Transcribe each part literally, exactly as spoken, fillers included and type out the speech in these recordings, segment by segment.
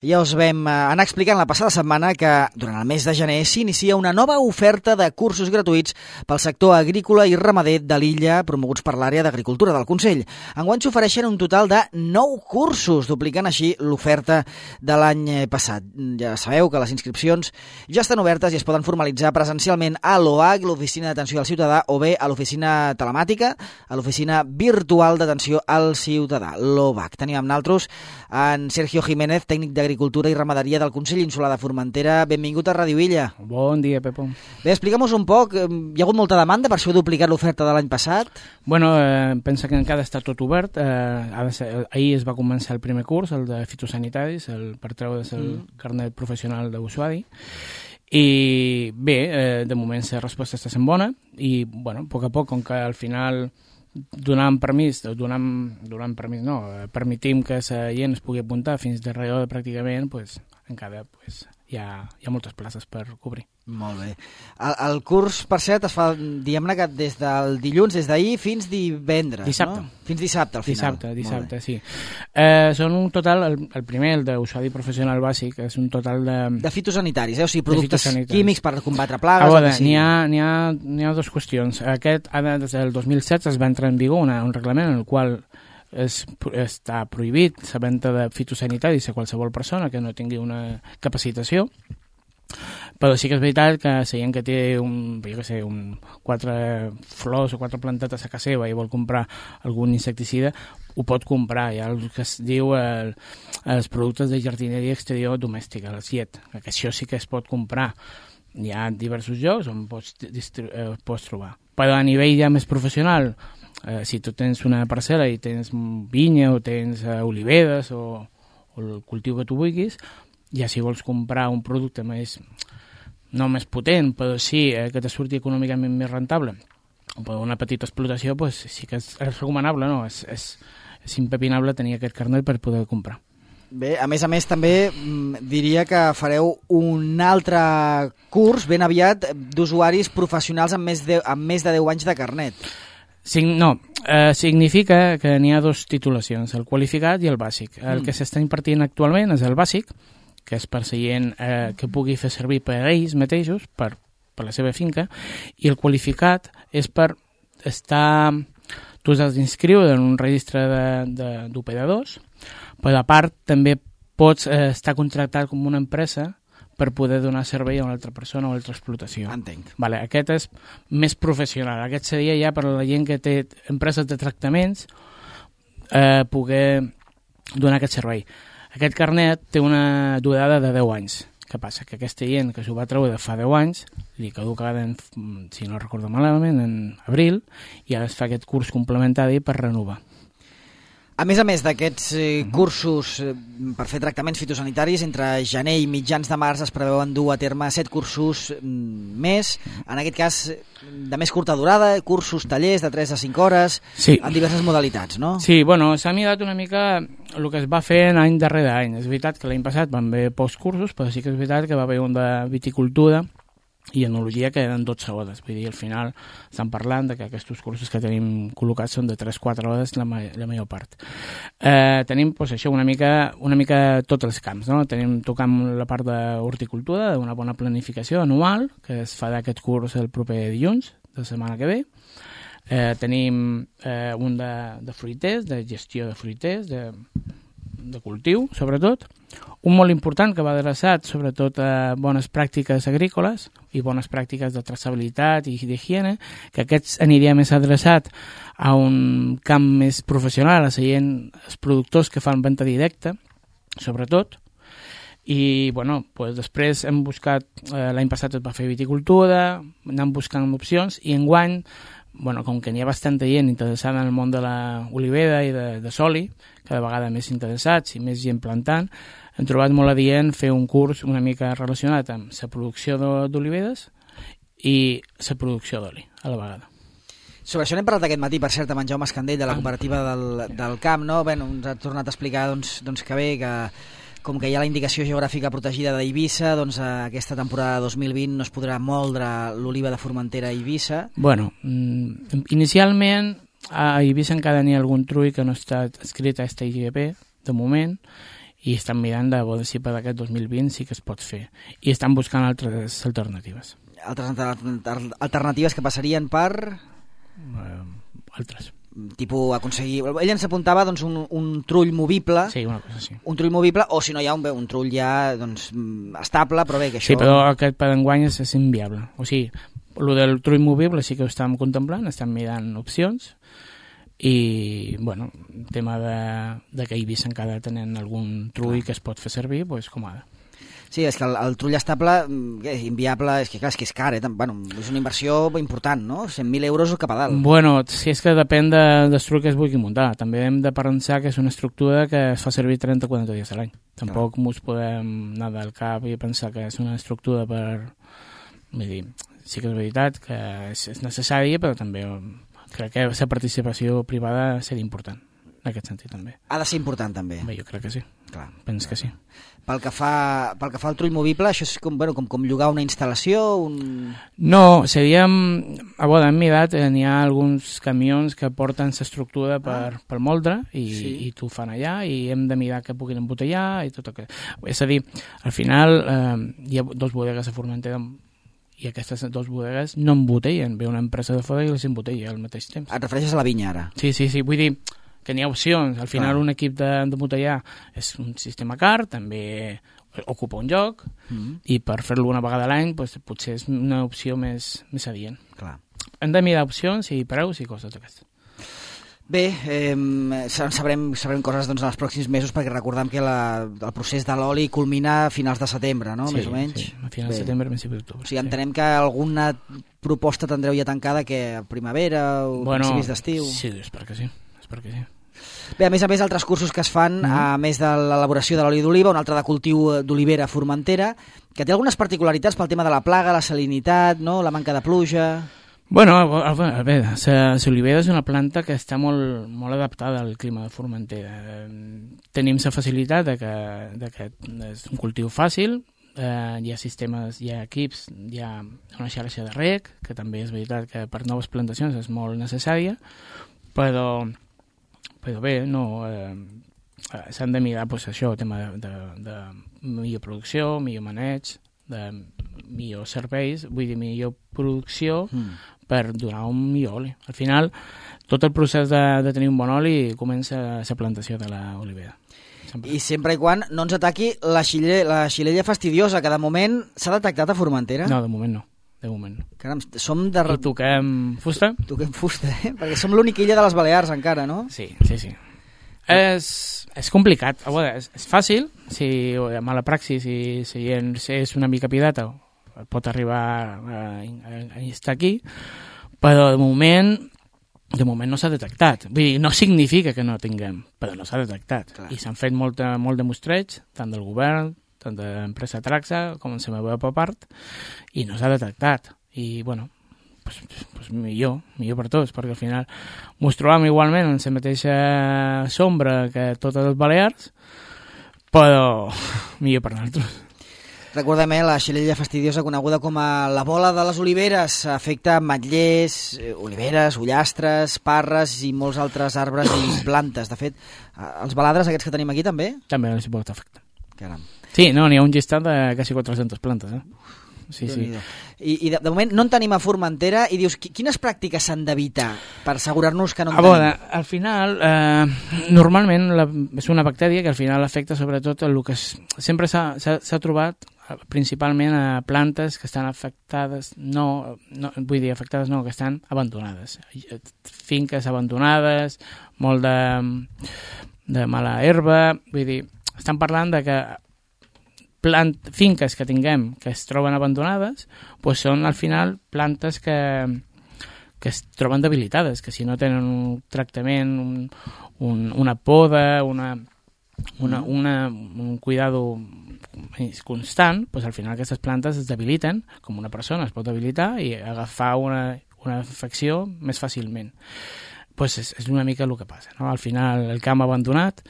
Ja us vam anar explicant la passada setmana que durant el mes de gener s'inicia una nova oferta de cursos gratuïts pel sector agrícola i ramader de l'illa promoguts per l'àrea d'agricultura del Consell. Enguany s'ofereixen un total de nou cursos, duplicant així l'oferta de l'any passat. Ja sabeu que les inscripcions ja estan obertes i es poden formalitzar presencialment a l'O A C, l'Oficina d'Atenció al Ciutadà, o bé a l'Oficina Telemàtica, a l'Oficina Virtual d'Atenció al Ciutadà, l'O V A C. Tenim amb nosaltres en Sergio Jiménez, tècnic d'Agricultura Agricultura i Ramaderia del Consell Insular de Formentera. Benvingut a Ràdio Illa. Bon dia, Pepo. Bé, explica'm-nos un poc. Hi ha hagut molta demanda per això heu duplicat l'oferta de l'any passat? Bueno, eh, pensa que encara està tot obert. Eh, ha de ser, ahir es va començar el primer curs, el de fitosanitaris, el, per treure's el mm. carnet professional d'usuari. I bé, eh, de moment la resposta està sent bona i, bueno, a poc a poc, com que al final donant permís, donant, donant permís no, permetim que la gent es pugui apuntar fins darrere pràcticament, pues, encara pues, hi, ha, hi ha moltes places per cobrir. Molt bé. El, el curs, per cert, es fa, diguem-ne que des del dilluns, des d'ahir fins divendres, dissabte. No? Fins dissabte, al final. Dissabte, dissabte, sí. Eh, són un total, el, el primer, el d'usuari professional bàsic, és un total de... De fitosanitaris, eh? O sigui, productes químics per combatre plagues... A veure, n'hi ha, n'hi ha, n'hi ha dues qüestions. Aquest, des del dos mil setze es va entrar en vigor una, un reglament en el qual es, està prohibit la venda de fitosanitaris a qualsevol persona que no tingui una capacitació. Però sí que és veritat que la gent que té un, jo què sé, un, quatre flors o quatre plantetes a casa seva i vol comprar algun insecticida, ho pot comprar. Hi ha el que es diu el, els productes de jardineria exterior domèstica, el S I E T, que això sí que es pot comprar. Hi ha diversos llocs on pots, eh, pots trobar. Però a nivell ja més professional, eh, si tu tens una parcel·la i tens vinya o tens eh, oliveres o, o el cultiu que tu vulguis, ja si vols comprar un producte més, no més potent, però sí eh, que te surti econòmicament més rentable, o per una petita explotació, pues, sí que és, és recomanable, no? És, és, és impepinable tenir aquest carnet per poder comprar. Bé, a més a més també diria que fareu un altre curs ben aviat d'usuaris professionals amb més de, amb més de deu anys de carnet. Sí, no, eh, significa que n'hi ha dues titulacions, el qualificat i el bàsic. El mm. que s'està impartint actualment és el bàsic, que és per la gent eh, que pugui fer servir per ells mateixos, per, per la seva finca, i el qualificat és per estar... Tu has d'inscriure en un registre d'operadors, però a part també pots eh, estar contractat com una empresa per poder donar servei a una altra persona o a una altra explotació. Entenc. Vale, aquest és més professional. Aquest seria ja per a la gent que té empreses de tractaments eh, poder donar aquest servei. Aquest carnet té una durada de deu anys. Què passa? Que aquesta gent que s'ho va treure fa deu anys, li caduca, en, si no recordo malament, en abril, i ara es fa aquest curs complementari per renovar. A més a més d'aquests eh, cursos eh, per fer tractaments fitosanitaris, entre gener i mitjans de març es preveuen dur a terme set cursos mm, més, en aquest cas de més curta durada, cursos, tallers de tres a cinc hores, sí. En diverses modalitats, no? Sí, bueno, s'ha mirat una mica el que es va fer any darrere any. És veritat que l'any passat van haver pocs cursos, però sí que és veritat que va haver un de viticultura i enologia que eren dotze hores. Vull dir, al final estan parlant de que aquests cursos que tenim col·locats són de tres a quatre hores la, ma la major part. Eh, tenim pues, això, una mica, una mica tots els camps, no? Tenim tocant la part d'horticultura, d'una bona planificació anual, que es farà aquest curs el proper dilluns, de la setmana que ve. Eh, tenim eh, un de, de fruiters, de gestió de fruiters, de, de cultiu, sobretot. Un molt important que va adreçat sobretot a bones pràctiques agrícoles i bones pràctiques de traçabilitat i d'higiene, que aquests aniria més adreçat a un camp més professional, a la gent, els productors que fan venda directa, sobretot. I bueno, pues després hem buscat, eh, l'any passat es va fer viticultura, anem buscant opcions i enguany, bueno, com que n'hi ha bastanta gent interessada en el món de l'olivera i de, de soli, cada vegada més interessats i més gent plantant, hem trobat molt adient fer un curs una mica relacionat amb la producció d'oliveres i la producció d'oli a la vegada. Sobre això n'hem parlat aquest matí, per cert, amb en Jaume Escandell de la cooperativa del, del camp, no? Bé, ens ha tornat a explicar doncs, doncs que bé, que com que hi ha la indicació geogràfica protegida d'Eivissa, doncs aquesta temporada dos mil vint no es podrà moldre l'oliva de Formentera a Eivissa. Bueno, inicialment a Eivissa encara n'hi ha algun trull que no està escrit a este I G P, de moment, i estan mirant de veure si per aquest dos mil vint sí que es pot fer. I estan buscant altres alternatives. Altres alternatives que passarien per... Uh, altres. Tipus aconseguir... Ell ens apuntava doncs, un, un trull movible. Sí, una cosa així. Un trull movible, o si no hi ha un, un trull ja doncs, estable, però bé, que això... Sí, però aquest per enguany és, és inviable. O sigui, el del trull movible sí que ho estem contemplant, estem mirant opcions, i, bueno, el tema de, de que Eivissa encara tenen algun trull que es pot fer servir, doncs com ara. Sí, és que el, el trull estable és inviable, és que clar, és que és car, eh? Bueno, és una inversió important, no? cent mil euros cap a dalt. Bueno, si és que depèn de, del trull que es vulgui muntar. També hem de pensar que és una estructura que es fa servir trenta o quaranta dies a l'any. Tampoc clar. Mos podem anar del cap i pensar que és una estructura per... Vull dir, sí que és veritat que és, és necessària, però també crec que la participació privada seria important. En aquest sentit, també. Ha de ser important, també. Bé, jo crec que sí. Clar. Penso que sí. Pel que fa, pel que fa al trull movible, això és com, bueno, com, com llogar una instal·lació? Un... No, seria... A veure, hem mirat, eh, n'hi ha alguns camions que porten l'estructura per, ah. per moldre i, sí. i t'ho fan allà i hem de mirar que puguin embotellar i tot aquest... És a dir, al final eh, hi ha dos bodegues a Formentera i aquestes dues bodegues no embotellen. Ve una empresa de fora i les embotella al mateix temps. Et refereixes a la vinya, ara? Sí, sí, sí. Vull dir... que n'hi ha opcions. Al final ah. un equip de, de botellar és un sistema car, també ocupa un lloc mm. i per fer-lo una vegada a l'any doncs, potser és una opció més, més adient. Clar. Hem de mirar opcions i preus i coses d'aquestes. Bé, eh, sabrem, sabrem coses doncs, en els pròxims mesos perquè recordem que la, el procés de l'oli culmina a finals de setembre, no? Sí, més o menys. Sí, a finals de setembre, principi d'octubre. O sigui, entenem sí. que alguna proposta tindreu ja tancada que a primavera o bueno, principis d'estiu. Sí, espero que sí. perquè sí. Bé, a més a més, altres cursos que es fan, mm. a més de l'elaboració de l'oli d'oliva, un altre de cultiu d'olivera a Formentera, que té algunes particularitats pel tema de la plaga, la salinitat, no? La manca de pluja... Bueno, a veure, l'olivera és una planta que està molt, molt adaptada al clima de Formentera. Tenim la facilitat de que, de que és un cultiu fàcil, eh, hi ha sistemes, hi ha equips, hi ha una xarxa de reg, que també és veritat que per noves plantacions és molt necessària, però... però bé, no, eh, s'han de mirar pues, això, el tema de, de, de millor producció, millor maneig, de millors serveis, vull dir, millor producció mm. per donar un millor oli. Al final, tot el procés de, de tenir un bon oli comença a la plantació de l'olivera. Sempre. I sempre i quan no ens ataqui la, xile, la xilella fastidiosa, que de moment s'ha detectat a Formentera? No, de moment no. De moment. Caram, som de... I toquem fusta? Toquem fusta, eh? Perquè som l'única illa de les Balears encara, no? Sí, sí, sí. És, és complicat. A veure, és, és fàcil, si a mala praxis, si, si és una mica pidata, pot arribar a, a, a estar aquí, però de moment, de moment no s'ha detectat. Vull dir, no significa que no tinguem, però no s'ha detectat. Clar. I s'han fet molt, molt de mostreig, tant del govern, tant de l'empresa Traxa com en la meva part, i no s'ha detectat. I, bueno, pues, pues millor, millor per tots, perquè al final mos trobam igualment en la mateixa sombra que totes les Balears, però millor per nosaltres. Recordem, eh, la xilella fastidiosa coneguda com a la bola de les oliveres afecta ametllers, oliveres, ullastres, parres i molts altres arbres i plantes. De fet, els baladres aquests que tenim aquí també? També no s'hi pot afectar. Caram. Sí, no, n'hi ha un llistat de quasi quatre-centes plantes, eh? Sí, sí. I, i de, de moment no en tenim a Formentera i dius, quines pràctiques s'han d'evitar per assegurar-nos que no en a tenim? Veure, al final, eh, normalment la, és una bactèria que al final afecta sobretot el que es, sempre s'ha trobat principalment a plantes que estan afectades, no, no, vull dir afectades no, que estan abandonades. Finques abandonades, molt de, de mala herba, vull dir, estan parlant de que plant, finques que tinguem que es troben abandonades pues són al final plantes que, que es troben debilitades, que si no tenen un tractament, un, un, una poda, una, una, una, un cuidado constant, pues al final aquestes plantes es debiliten, com una persona es pot debilitar i agafar una, una infecció més fàcilment. Pues és, és una mica el que passa, no? Al final el camp abandonat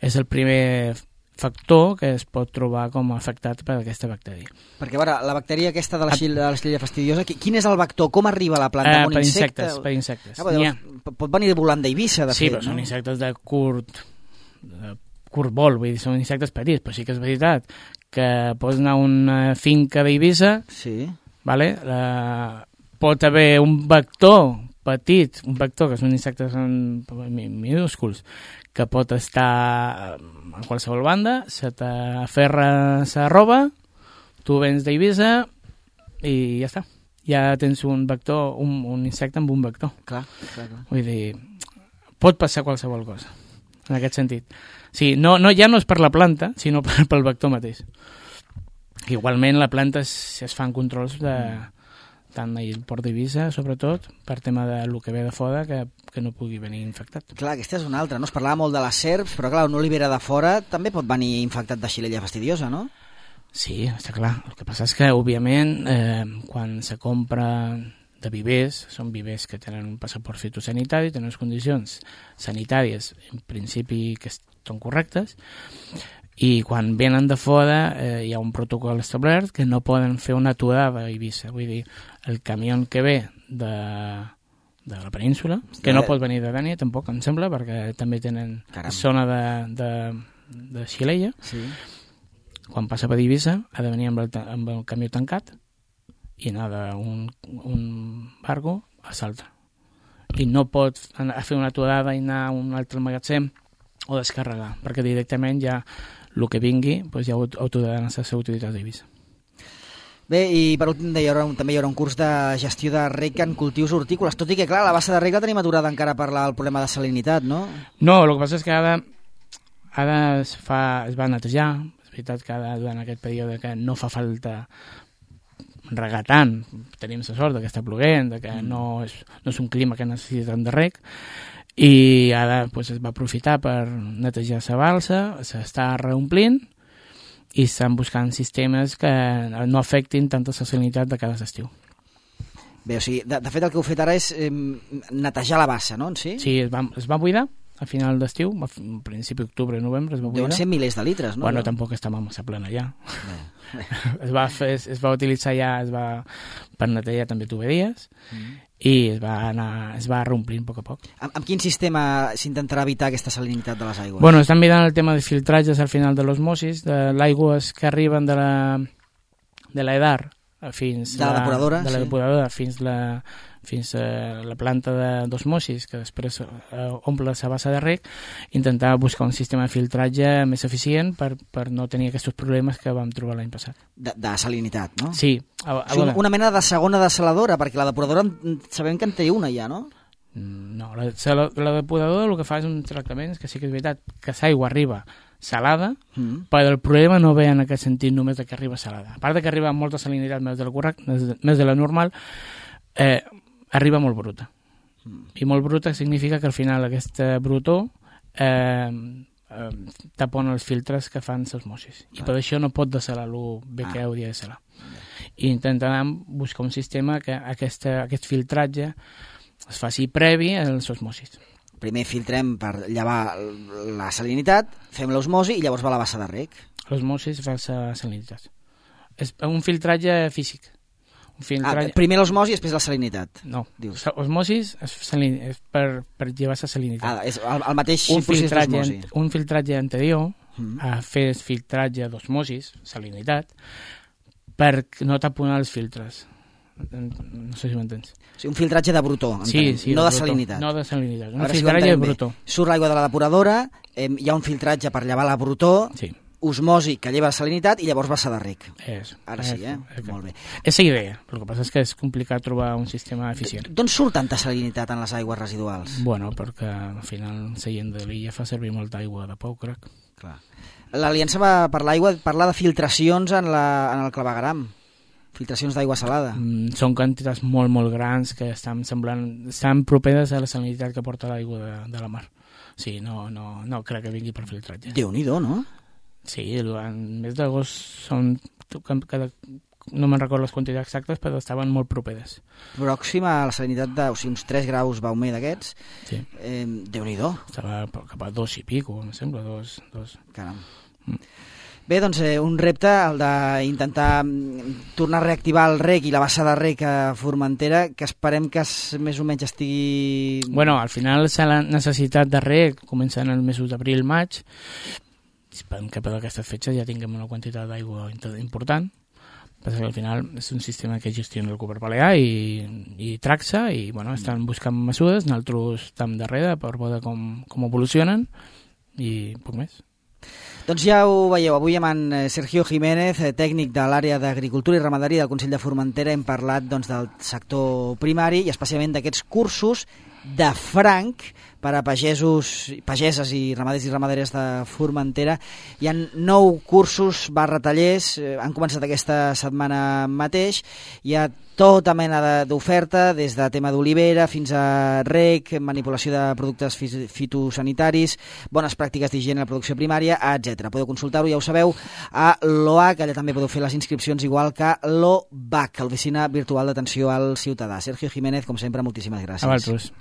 és el primer factor que es pot trobar com afectat per aquesta bactèria. Perquè, a veure, la bactèria aquesta de la xilella fastidiosa, quin és el vector? Com arriba a la planta? Eh, un per insecte? insectes, per insectes. Ah, llavors, pot venir volant d'Eivissa, de sí, fet, però no? són insectes de curt, de curbol, vull dir, són insectes petits, però sí que és veritat que pots anar a una finca d'Eivissa, sí. vale? La... pot haver un vector petit, un vector que són insectes minúsculs, que pot estar a qualsevol banda, se t'aferra la roba, tu vens d'Eivissa i ja està. Ja tens un vector, un, un insecte amb un vector. Clar, clar, clar. Vull dir, pot passar qualsevol cosa, en aquest sentit. Sí, no, no, ja no és per la planta, sinó per, pel vector mateix. Igualment, la planta es, es fan controls de... tant al port d'Eivissa, sobretot, per tema de lo que ve de fora, que, que no pugui venir infectat. Clar, aquesta és una altra, no? Es parlava molt de les serps, però clar, un olivera de fora també pot venir infectat de xilella fastidiosa, no? Sí, està clar. El que passa és que, òbviament, eh, quan se compra de vivers, són vivers que tenen un passaport fitosanitari, tenen unes condicions sanitàries, en principi, que són correctes, i quan venen de fora eh, hi ha un protocol establert que no poden fer una aturada a Eivissa. Vull dir, el camió que ve de, de la península, que no pot venir de Dènia, tampoc, em sembla, perquè també tenen Caram. zona de, de, de xilella, sí. Quan passa per Eivissa ha de venir amb el, amb el camió tancat i anar d'un un barco a l'altre. I no pot anar a fer una aturada i anar a un altre magatzem o descarregar, perquè directament ja el que vingui doncs ja ho autoraran a les autoritats d'Eivissa. Bé, i per últim hi haurà un, també hi haurà un curs de gestió de rec en cultius hortícoles, tot i que, clar, la bassa de rec la tenim aturada encara per la, el problema de salinitat, no? No, el que passa és que ara, ara es, fa, es va netejar, és veritat que ara, durant aquest període que no fa falta regar tant, tenim la sort que està ploguent, que mm. no, és, no és un clima que necessiten de rec, i ara pues, es va aprofitar per netejar la balsa, s'està reomplint i estan buscant sistemes que no afectin tanta la salinitat de cada estiu. Bé, o sigui, de, de fet el que heu fet ara és eh, netejar la bassa, no? En si? Sí, es va, es va buidar a final d'estiu, a principi d'octubre, novembre es va buidar. Deuen ser milers de litres, no? Bueno, no? Tampoc estàvem massa plena ja. es, va fer, es va utilitzar ja es va, per netejar també tuberies mm. i es va, anar, es va reomplint a poc a poc. Amb, amb quin sistema s'intentarà evitar aquesta salinitat de les aigües? Bueno, estan mirant el tema de filtratges al final de l'osmosis, de l'aigües que arriben de la de l'Edar fins de la depuradora, de la sí. depuradora fins la fins a la planta d'osmosis, que després eh, omple la bassa de rec, intentar buscar un sistema de filtratge més eficient per, per no tenir aquests problemes que vam trobar l'any passat. De, de salinitat, no? Sí. A, a una, una mena de segona desaladora, perquè la depuradora sabem que en té una ja, no? No, la, la, la depuradora el que fa és un tractament, que sí que és veritat, que l'aigua arriba salada, mm. però el problema no ve en aquest sentit només de que arriba salada. A part de que arriba amb molta salinitat més de la, correct, més de la normal, eh, arriba molt bruta. Mm. I molt bruta significa que al final aquesta brutó eh, eh, tapona els filtres que fan l'osmosis. I per això no pot desalar el bé que ah. hauria de salar. Ah. I intentarem buscar un sistema que aquesta, aquest filtratge es faci previ a l'osmosis. Primer filtrem per llevar la salinitat, fem l'osmosi i llavors va a la bassa de rec. L'osmosis fa la salinitat. És un filtratge físic. Un filtratge... Ah, primer l'osmosi i després la salinitat. No, dius. Osmosis és, salin... és per, per llevar la salinitat. Ah, és el, el mateix un procés d'osmosi. Un filtratge anterior mm. a fer filtratge d'osmosis, salinitat, per no taponar els filtres. No sé si m'entens. O sigui, un filtratge de brutó, sí, sí, no de, de salinitat. No de salinitat, un filtratge de brutó. Surt l'aigua de la depuradora, eh, hi ha un filtratge per llevar la brutó, sí. osmosi que lleva la salinitat i llavors bassa de rec. És, Ara sí, eh? És, Molt bé. És la idea, el que passa és que és complicat trobar un sistema eficient. D'on surt tanta salinitat en les aigües residuals? Bueno, perquè al final la gent de l'illa fa servir molta aigua de pou, crec. Clar. L'Aliança va per l'aigua parlar de filtracions en, la, en el clavegueram. Filtracions d'aigua salada. Mm, són quantitats molt, molt grans que estan semblant, estan properes a la salinitat que porta l'aigua de, de la mar. Sí, no, no, no crec que vingui per filtratge. Déu-n'hi-do, no? Sí, en mes d'agost són... Cada, no me'n recordo les quantitats exactes, però estaven molt properes. Pròxima a la salinitat de... O sigui, uns tres graus baumer d'aquests. Sí. Eh, Déu-n'hi-do. Estava cap a dos i pico, em sembla, dos. dos. Caram. Mm. Bé, doncs eh, un repte, el d'intentar tornar a reactivar el rec i la bassa de rec a Formentera, que esperem que es, més o menys estigui... Bueno, al final la necessitat de rec comença en els mesos d'abril-maig esperem que per aquestes fetges ja tinguem una quantitat d'aigua important, perquè al final és un sistema que gestiona el Govern Balear i, i Traxa, i bueno, estan buscant mesures, nosaltres estem darrere per veure com, com evolucionen, i poc més. Doncs ja ho veieu, avui amb en Sergio Jiménez, tècnic de l'àrea d'Agricultura i Ramaderia del Consell de Formentera, hem parlat doncs, del sector primari i especialment d'aquests cursos de franc per a pagesos, pageses i ramaders i ramaderes de Formentera. Hi ha nou cursos barra tallers, han començat aquesta setmana mateix, hi ha tota mena d'oferta, des de tema d'olivera fins a rec, manipulació de productes fitosanitaris, bones pràctiques d'higiene a la producció primària, etcètera. Podeu consultar-ho, ja ho sabeu, a l'O A C, allà també podeu fer les inscripcions igual que l'O B A C, l'Oficina Virtual d'Atenció al Ciutadà. Sergio Jiménez, com sempre, moltíssimes gràcies. A vosaltres.